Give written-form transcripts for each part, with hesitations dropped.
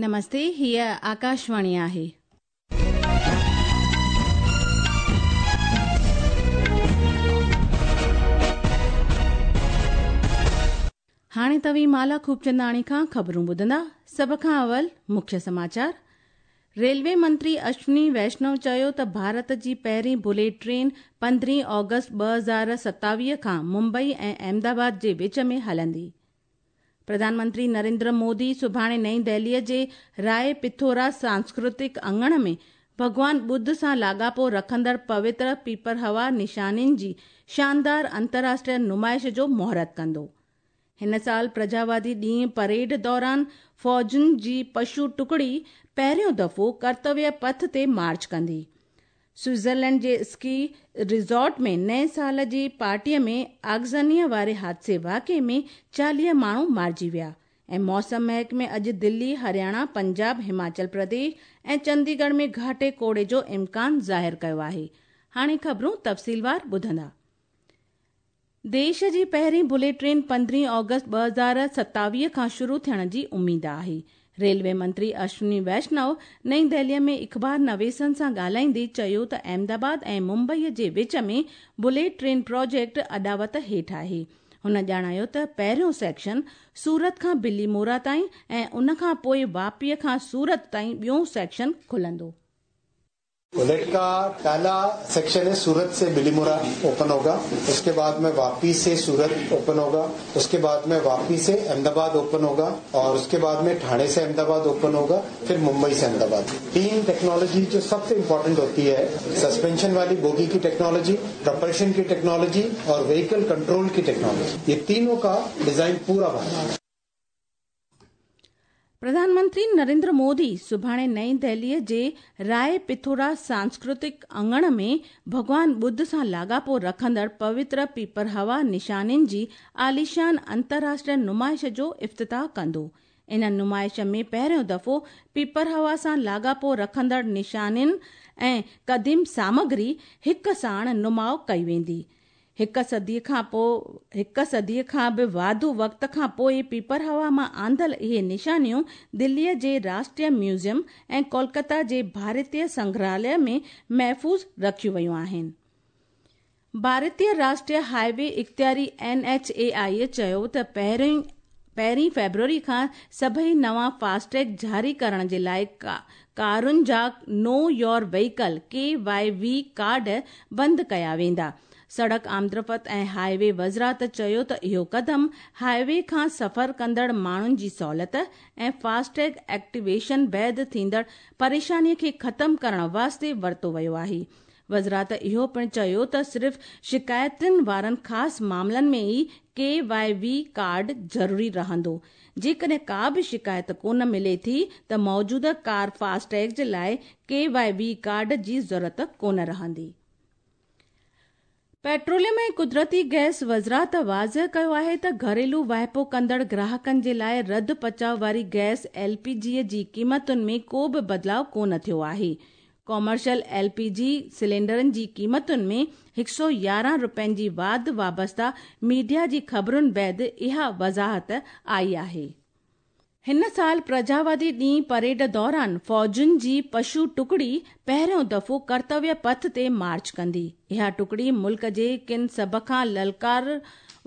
نمستي هيء آڪاشواڻي آهي. هاڻي توهين مالا خوبچنداڻي کان خبرون ٻڌندا. سڀ کان اول مکيه سماچار. ريلوي منتري اشوني ويشنو چيو ته ڀارت جي پهرين بليٽ ٽرين پندرهين آگسٽ 2027 کان ممبئي ۽ احمدآباد جي وچ ۾ هلندي. پرڌان منتري نريندر مودي سڀاڻي نئين دهليء جي راء پٿورا سانسڪرتڪ اڱڻ ۾ ڀڳوان ٻڌ سان لاڳاپو رکندڙ پوتر پيپرهوا نشانين جي شاندار انترراشٽريه نمائش جو مهورت ڪندو. هن سال پرجاوادي ڏينهن پريڊ دوران فوجن جي پشو ٽڪڙي پهريون دفعو ڪرتويه پٿ تي مارچ ڪندي. سوئٽزرلينڊ جي اسڪي ريزورٽ ۾ نئين سال جي پارٽيء ۾ آگزنيء واري حادثي واقعي ۾ 40 ماڻهو مارجي ويا ۽ موسم محڪمي اڄ دلي، هرياڻا، پنجاب، هماچل پرديش ۽ چنديڳڙهه ۾ گهاٽي ڪوڙي جو امڪان ظاهر ڪيو آهي. هاڻي خبرون تفصيلوار ٻڌندا. ديش جي پهرين بليٽ ٽرين پندرهين آگسٽ 2027 کان شروع ٿيڻ جي اميد آهي. ريلوي منتري اشوني ويشنو نئين دهليء ۾ اخبار نويسن سان ڳالهائيندي چيو ته احمدآباد ۽ ممبئي جي وچ ۾ بليٽ ٽرين پراجيڪٽ اڏاوت هيٺ آهي. هن ڄاڻايو ته پهريون سيڪشن سورت کان بلي مورا تائين ۽ ان کان پوء واپيء کان سورت تائين ٻيون سيڪشن کلندو. बुलेट का पहला सेक्शन है सूरत से बिलीमोरा ओपन होगा, उसके बाद में वापी से सूरत ओपन होगा, उसके बाद में वापी से अहमदाबाद ओपन होगा और उसके बाद में ठाणे से अहमदाबाद ओपन होगा, फिर मुंबई से अहमदाबाद। तीन टेक्नोलॉजी जो सबसे इम्पोर्टेंट होती है, सस्पेंशन वाली बोगी की टेक्नोलॉजी, प्रपल्शन की टेक्नोलॉजी और व्हीकल कंट्रोल की टेक्नोलॉजी, ये तीनों का डिजाइन पूरा बना। پرڌان منتري نريندر مودي سڀاڻي نئين دهليء جي راء پٿورا سانسڪرتڪ اڱڻ ۾ ڀڳوان ٻڌ سان لاڳاپو رکندڙ پوتر پيپرهوا نشانين جي عاليشان انترراشٽريه نمائش جو افتتاح ڪندو. ان نمائش ۾ پهريون دفعو پيپرهوا سان لاڳاپو رکندڙ نشانين ۽ قديم سامگري هڪ ساڻ نماء ڪئي ويندي. هڪ صديء کان پوء هڪ صديء کان به واڌو وقت کان پوء پيپرهوا مان آندل اهي نشانيون دليء جي راشٽريه ميوزيم ۽ ڪولڪتا جي ڀارتيه سنگرهاليه ۾ محفوظ رکيون ويون آهن. ڀارتيه راشٽريه هاء وي اختياري اين ايڇ اي آء چيو ته پهرين پهرين فيبروري کان سڀئي نوان فاسٽيگ جاري ڪرڻ جي لاء ڪارن جا know your vehicle, K Y V, card بند ڪيا ويندا. سڙڪ آمدرفت ۽ هاء وي وزارت چيو ته اهو قدم هاء وي کان سفر ڪندڙ ماڻهن جي سهولت ۽ فاسٽيگ ايڪٽيويشن بعد ٿيندڙ پريشاني کي ختم ڪرڻ واسطي ورتو ويو آهي. وزارت اهو پڻ چيو ته صرف شڪايتن وارن خاص معاملن ۾ ئي ڪي وائي وي ڪارڊ ضروري رهندو. جيڪڏهن ڪا به شڪايت ڪونه ملي ٿي ته موجوده ڪار فاسٽيگ جي لاء ڪي وائي وي ڪارڊ جي ضرورت ڪونه رهندي. پيٽروليم ۽ قدرتي گئس وزارت واضح ڪيو آهي ته گهريلو واهپو ڪندڙ گراهڪن جي لاء رڌ پچاء واري گئس ايل پي جي جي قيمتن ۾ ڪو به بدلاء ڪونه ٿيو آهي. ڪامرشل ايل پي جي سلينڊرن جي قيمتن ۾ 111 رپين جي واڌ وابسته ميڊيا جي خبرن بعد اها وضاحت آئي آهي. هن سال پرجاوادي ڏينهن پريڊ دوران فوجن جي پشو ٽڪڙي پهريون دفعو ڪرتويه پٿ تي مارچ ڪندي. اها ٽڪڙي ملڪ جي ڪن سڀ کان للڪار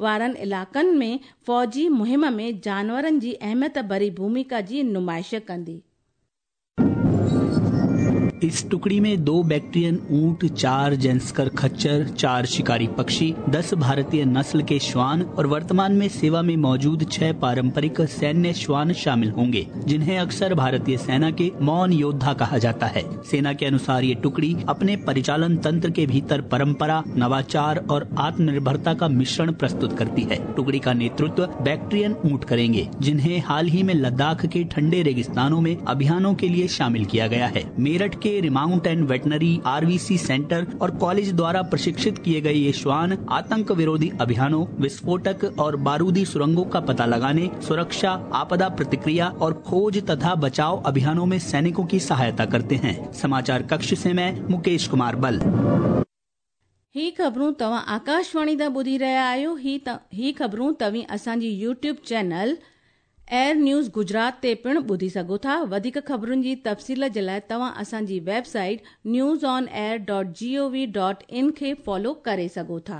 وارن علائقن ۾ فوجي مهم ۾ جانورن جي اهميت ڀري ڀوميڪا جي نمائش ڪندي. इस टुकड़ी में 2 बैक्ट्रियन ऊंट, 4 ज़ांस्कर खच्चर, 4 शिकारी पक्षी, 10 भारतीय नस्ल के श्वान और वर्तमान में सेवा में मौजूद 6 पारंपरिक सैन्य श्वान शामिल होंगे, जिन्हें अक्सर भारतीय सेना के मौन योद्धा कहा जाता है। सेना के अनुसार ये टुकड़ी अपने परिचालन तंत्र के भीतर परंपरा, नवाचार और आत्मनिर्भरता का मिश्रण प्रस्तुत करती है। टुकड़ी का नेतृत्व बैक्ट्रियन ऊंट करेंगे, जिन्हें हाल ही में लद्दाख के ठंडे रेगिस्तानों में अभियानों के लिए शामिल किया गया है। मेरठ के remount and veterinary RVC centre और कॉलेज द्वारा प्रशिक्षित किए गए ये श्वान आतंक विरोधी अभियानों, विस्फोटक और बारूदी सुरंगों का पता लगाने, सुरक्षा, आपदा प्रतिक्रिया और खोज तथा बचाव अभियानों में सैनिकों की सहायता करते हैं। समाचार कक्ष से मैं मुकेश कुमार बल। ही ख़बरूं तव्हां आकाशवाणी तां ॿुधी रहिया आहियो। ही ही ख़बरूं तव्हीं असांजी YouTube channel Air News Gujarat تي پڻ ٻڌي سگهو ٿا. وڌيڪ خبرن جي تفصيل جي لاءِ توهان اسان جي website news on air dot G O V dot in کي فالو ڪري سگهو ٿا.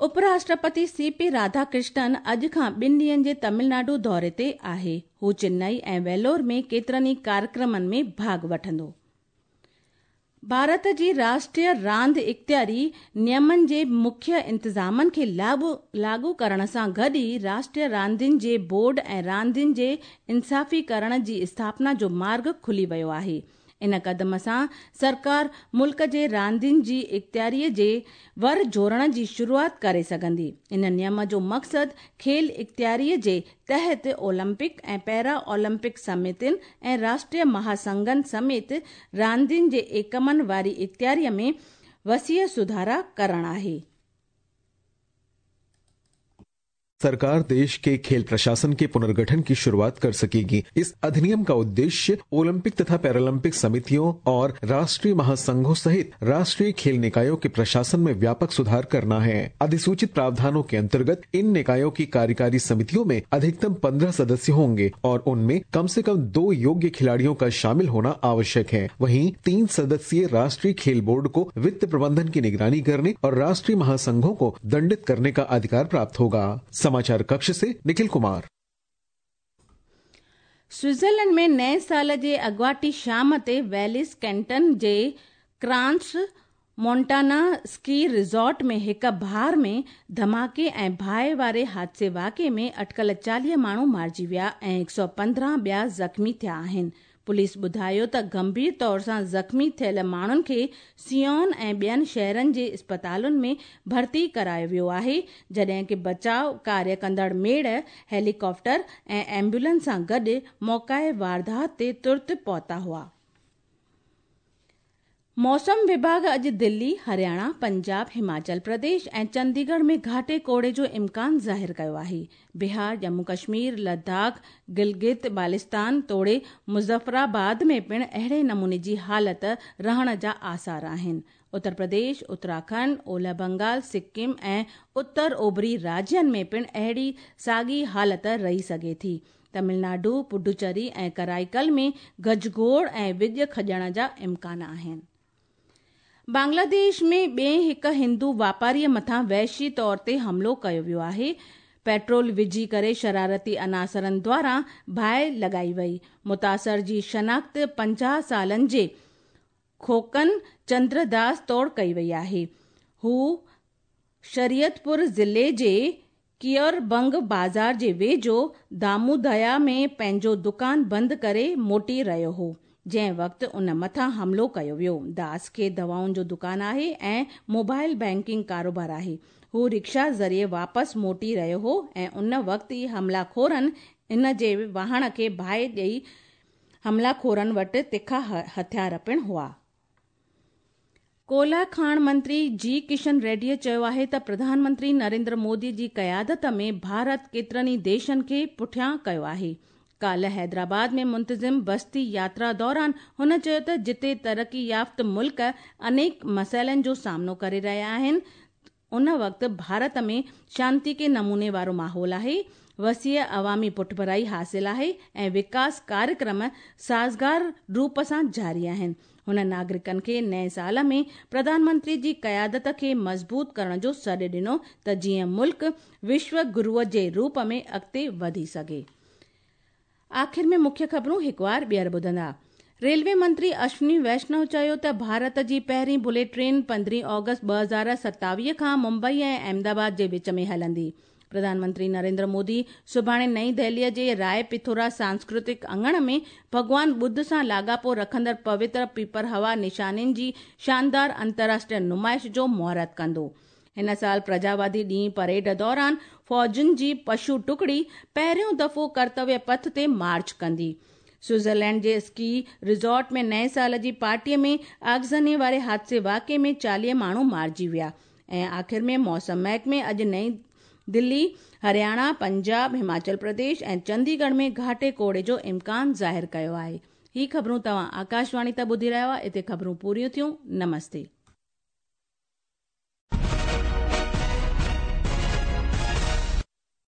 اپراشٽرپتي سي پي راڌاڪرشنن اڄ کان ٻن ڏينهن جي تامل ناڊو دوري تي آهي. هو چنائي ۽ ويلور ۾ ڪيترن ئي ڪاريڪرمن ۾ ڀاڳ وٺندو. ڀارت جي راشٽريه راند اختياري نيمن جي مکيه انتظامن کي لاڳو ڪرڻ سان گڏ ئي راشٽريه راندين جي بورڊ ۽ راندين جي انصافي ڪرڻ جي اسٿاپنا جو مارڳ کلي ويو آهي. ان قدم سان سرڪار ملڪ جي راندين جي اختياري جي ور جوڙڻ جي شروعات ڪري سگهندي. ان نيم جو مقصد کيل اختياري جي تحت اولمپڪ ۽ پيرا اولمپڪ سمتين ۽ راشٽريه مهاسنگهن سميت راندين جي ايڪمن واري اختياري ۾ وسيع سڌارا ڪرڻ آهي. सरकार देश के खेल प्रशासन के पुनर्गठन की शुरुआत कर सकेगी। इस अधिनियम का उद्देश्य ओलंपिक तथा पैरालंपिक समितियों और राष्ट्रीय महासंघों सहित राष्ट्रीय खेल निकायों के प्रशासन में व्यापक सुधार करना है। अधिसूचित प्रावधानों के अंतर्गत इन निकायों की कार्यकारी समितियों में अधिकतम 15 सदस्य होंगे और उनमें कम से कम 2 योग्य खिलाड़ियों का शामिल होना आवश्यक है। वहीं 3 सदस्यीय राष्ट्रीय खेल बोर्ड को वित्त प्रबंधन की निगरानी करने और राष्ट्रीय महासंघों को दंडित करने का अधिकार प्राप्त होगा। समाचार कक्ष से निखिल कुमार। स्विट्जरलैंड में नए साल जे अॻुवाटी शाम ते वेलिस कैंटन जे क्रांस मोंटाना स्की रिज़ॉर्ट में हिक बार में धमाके ऐं बाहि वारे हादसे वाक़े में अटकल 40 माण्हू मारिजी विया ऐं 115 ॿिया ज़ख़्मी थिया आहिनि। पुलिस ॿुधायो त गंभीर तौर सां ज़ख़्मी थियल माण्हुनि खे सियोन ऐं ॿियनि शहरनि जे अस्पतालुनि में भर्ती करायो वियो आहे, जॾहिं की बचाव कार्य कंदड़ मेड़, हेलीकॉप्टर ऐं एम्बुलेंस सां गॾु मौक़ाए वारदात ते तुर्त पहुता हुआ। मौसम विभाग अॼु दिल्ली, हरियाणा, पंजाब, हिमाचल प्रदेश ऐं चंडीगढ़ में घाटे कोहरे जो इम्कान ज़ाहिर कयो आहे। बिहार, जम्मू कश्मीर, लद्दाख, गिलगित बालिस्तान तोड़े मुज़फ़राबाद में पिणु अहिड़े नमूने जी हालत रहण जा आसार आहिनि। उत्तर प्रदेश, उत्तराखंड, ओलह बंगाल, सिक्किम ऐं उत्तर ओभरी राज्यनि में पिणु अहिड़ी साॻी हालत रही सघे थी। तमिलनाडु, पुडुचेरी ऐं कराईकल में गजगोड़ ऐं विॼ खॼण जा इम्कान आहिनि। बांग्लादेश में ॿिए हिक हिंदू वापारीअ मथां वहशी तौर ते हमलो कयो वियो आहे। पेट्रोल विझी करे शरारती अनासरनि द्वारा बाहि लॻाई वई। मुतासर जी शनाख़्त 50 सालनि जे खोकन चंद्रदास तौर कई वई आहे। हू शरीयतपुर ज़िले जे कियरबंग बाज़ार जे वेझो दामूदया में पंहिंजो दुकान बंदि करे मोटी रहियो हो, जंहिं वक़्तु उन मथां हमलो कयो वियो। दास खे दवाउनि जो दुकान आहे ऐं मोबाइल बैंकिंग कारोबार आहे। हू रिक्शा ज़रिए वापसि मोटी रहियो हो ऐं उन वक़्तु ई हमलाखोरनि इन जे वाहण खे बाहि ॾेई हमलाखोरनि वटि तिखा हथियार पिणु हुआ। कोयला खाण मंत्री जी किशन रेड्डीअ चयो आहे त प्रधानमंत्री नरेंद्र मोदी जी क़यादत में भारत केतिरनि ई देशनि खे पुठियां कयो आहे। काल्ह हैदराबाद में मुंतज़िम बस्ती यात्रा दौरान हुन चयो त जिते तरक़ी याफ़्त मुल्क अनेक मसइलनि जो सामनो करे रहिया आहिनि, उन वक़्तु भारत में शांति के नमूने वारो माहौल आहे, वसीअ अवामी पुठभराई हासिल आहे ऐं विकास कार्यक्रम साज़गार रूप सां जारी आहिनि। हुन नागरिकनि खे नए साल में प्रधानमंत्री जी क़यादत खे मज़बूत करण जो सॾु ॾिनो त जीअं मुल्क विश्व गुरूअ जे रूप में अॻिते वधी सघे। आख़िर में मुख्य ख़बरूं हिकु वार ॿीहर ॿुधंदा। रेलवे मंत्री अश्विनी वैष्णव चयो त भारत जी पहिरीं बुलेट ट्रेन 15 ऑगस्ट 2027 खां मुंबई ऐं अहमदाबाद जे विच में हलंदी। प्रधानमंत्री नरेंद्र मोदी सुभाणे नई दिल्लीअ जे राय पिथोरा सांस्कृतिक अंगण में भॻवान बुद्ध सां लाॻापो रखंदड़ पवित्र पीपर हवा निशानियुनि जी शानदार अंतर्राष्ट्रीय नुमाइश जो मुहूर्त कंदो। हिन साल प्रजावादी ॾींहुं परेड दौरान फ़ौजुनि जी पशु टुकड़ी पहिरियों दफ़ो कर्तव्य पथ ते मार्च कंदी। स्विट्जरलैंड जे स्की रिज़ॉर्ट में नए साल जी पार्टीअ में आगज़नी वारे हादसे वाक़े में 40 माण्हू मारिजी विया। ऐं आख़िर में मौसम महकमे अॼु नई दिल्ली, हरियाणा, पंजाब, हिमाचल प्रदेश ऐं चंडीगढ़ में घाटे कोहरे जो इम्कान ज़ाहिर कयो आहे। ही ख़बरूं तव्हां आकाशवाणी तां ॿुधी रहिया हुआ। हिते ख़बरूं पूरियूं थियूं। नमस्ते।